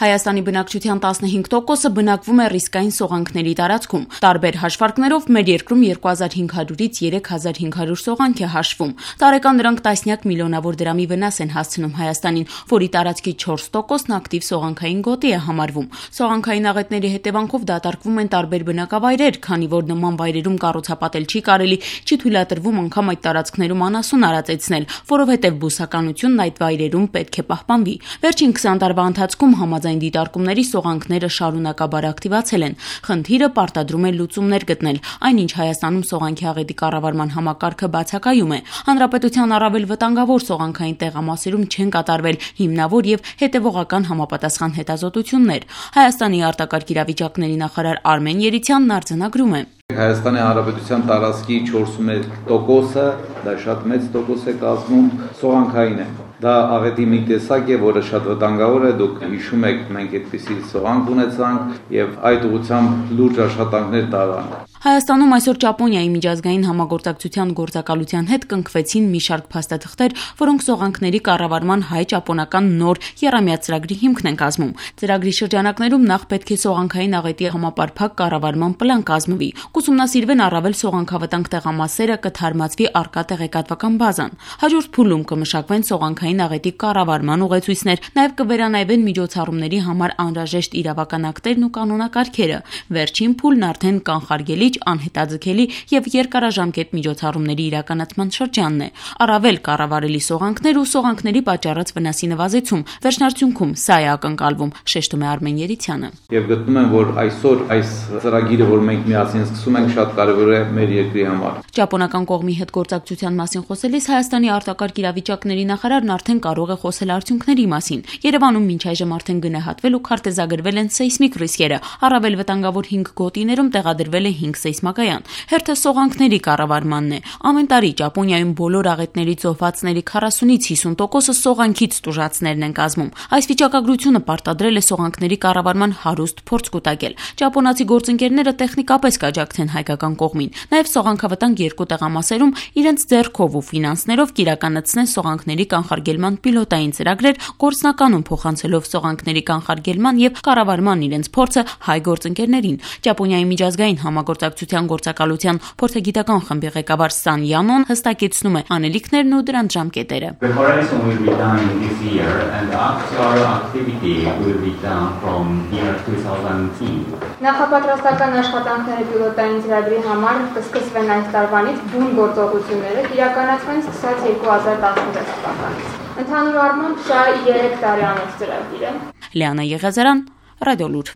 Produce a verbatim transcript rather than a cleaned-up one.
Հայաստանի բնակչության տասնհինգ տոկոսը բնակվում է ռիսկային սողանքների տարածքում։ Տարբեր հաշվարկներով մեր երկրում երկու հազար հինգ հարյուրից երեք հազար հինգ հարյուր սողանք է հաշվում։ Տարեկան դրանք տասնյակ միլիոնավոր դրամի վնաս են հասցնում Հայաստանին, որի տարածքի չորս տոկոսն ակտիվ սողանքային գոտի է համարվում։ Սողանքային աղետների հետևանքով դատարկվում են տարբեր բնակավայրեր, քանի որ նման վայրերում կառուցապատել չի կարելի, չի թույլատրվում անգամ այդ տարածքներում անասուն արածեցնել, որովհետև բուսականությունն այդ վայրերում պետք է պահպանվի։ Վերջին քսան տարվա ընթացքում համաձայն դիտարկումների սողանքները շարունակաբար ակտիվացել են։ Խնդիրը պարտադրում է լուծումներ գտնել, այնինչ Հայաստանում սողանքի աղետի կառավարման համակարգը բացակայում է։ Հանրապետության առավել վտանգավոր սողանքային տեղամասերում չեն կատարվել հիմնավոր եւ հետեւողական համապատասխան հետազոտություններ։ Հայաստանի արտակարգ իրավիճակների նախարար Արմեն Երիցյանն արձանագրում է. Հայաստանի Հանրապետության տարածքի չորսունմեկ տոկոսը, դա շատ մեծ տոկոս է կազմում, սողանքային է։ Դա աղետի մի տեսակ է, որը շատ վտանգավոր է, դուք հիշում եք, մենք այդպիսի սողանք ունեցանք եւ այդ ուղղությամբ լուրջ աշխատանքներ տարանք։ Հայաստանում այսօր Ճապոնիայի միջազգային համագործակցության գործակալության հետ կնքվեցին մի շարք փաստաթղթեր, որոնք սողանքների կառավարման հայ-ճապոնական նոր եռամյա ծրագրի հիմքն են կազմում։ Ծրագրի շրջանակներում նախ պետք է սողանքային աղետի համապարփակ կառավարման պլան կազմվի, կուսումնասիրվեն առավել սողանքավտանգ տեղամասերը, կթարմացվի առկա տեղեկատվական բազան։ Հաջորդ փուլում կմշակվեն սողանքային աղետի կառավարման ուղեցույցներ, նաև կվերանայվեն միջոցառումների համար անհրաժեշտ իրավական ակտերն ու կանոնակարգերը։ Վերջին փուլն արդեն կանխարգելիչ, անհետաձգելի եւ երկարաժամկետ միջոցառումների իրականացման շրջանն է։ Առավել կառավարելի սողանքներ ու սողանքների պատճառած վնասի նվազեցում։ Վերջնարդյունքում սա է ակնկալվում, շեշտում է Արմեն Երիցյանը։ Եվ գտնում եմ, որ այսօր այս ծրագիրը, որ մենք միասին սկսում ենք, շատ կարևոր է մեր երկրի համար։ Ճապոնական կողմի հետ գործակցության մասին խոսելիս Հայաստանի արտակարգ իրավիճակների նախարարն արդեն կարող է խոսել արդյունքների մասին։ Երևանում մինչ այժմ արդեն գնահատվել ու քարտեզագրվել են սեյսմիկ ռիսկերը։ Առավել վտանգավոր հինգ գոտիներում տեղադրվել է հինգ սեյսմակայան։ Հերթը սողանքների կառավարմանն է։ Ամեն տարի Ճապոնիայում բոլոր աղետների ծոհվածների քառասունից հիսուն տոկոսը սողանքից տուժածներն են կազմում։ Այս վիճակագրությունը պարտադրել է սողանքների կառավարման հարուստ փորձ կուտակել։ Ճապոնացի գործընկերները տեխնիկապես կաջակցեն հայկական կողմին։ Նաև սողանքավտանգ երկու տեղամասերում իրենց ձեռքով ու ֆինանսներով կիրականացնեն սողանքների կանխարգելման պիլոտային ծրագրեր, գործնականում փոխանցելով սողանքների կանխարգելման եւ կառավարման իրենց փորձը հայ գործընկերներին։ Ճապոնիայի միջազգային համագործակցության գործակալության փորձագիտական խմբի ղեկավար Սան Յանոն հստակեցնում է անելիքներն ու դրանց ժամկետերը։ Նախապատրաստական աշխատանքները պիլոտային ծրագրի համար կսկսվեն այս տարվանից, բուն գործողությունները իրականացվեն սկսած երկու հազար տասնվեց թվականից։ Ընդհանուր առմամբ սա երեք տարեանոց ծրագիր է։ Լիանա Եղիազարյան, Ռադիոլուր։